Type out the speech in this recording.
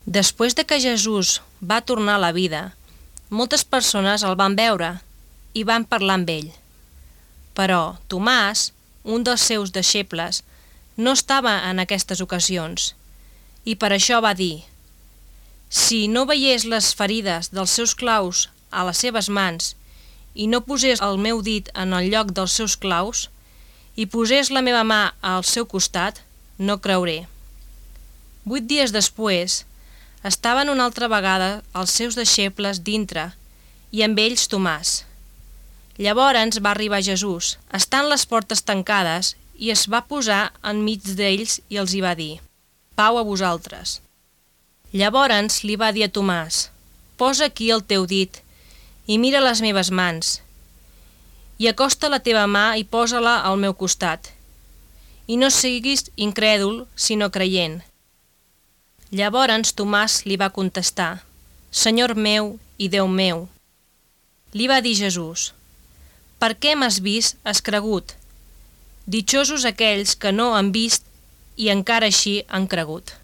Després de que Jesús va tornar a la vida, moltes persones el van veure i van parlar amb ell. Però Tomàs, un dels seus deixebles, no estava en aquestes ocasions i per això va dir: «Si no veiés les ferides dels seus claus a les seves mans i no posés el meu dit en el lloc dels seus claus i posés la meva mà al seu costat, no creuré». 8 dies després, estaven una altra vegada els seus deixebles dintre i amb ells Tomàs. Llavors va arribar Jesús, estant les portes tancades, i es va posar enmig d'ells i els hi va dir: «Pau a vosaltres». Llavors li va dir a Tomàs: «Posa aquí el teu dit i mira les meves mans, i acosta la teva mà i posa-la al meu costat, i no siguis incrèdul, sinó creient». Llavors Tomàs li va contestar: «Senyor meu i Déu meu». Li va dir Jesús: «Per què m'has vist, has cregut? Ditxosos aquells que no han vist i encara així han cregut».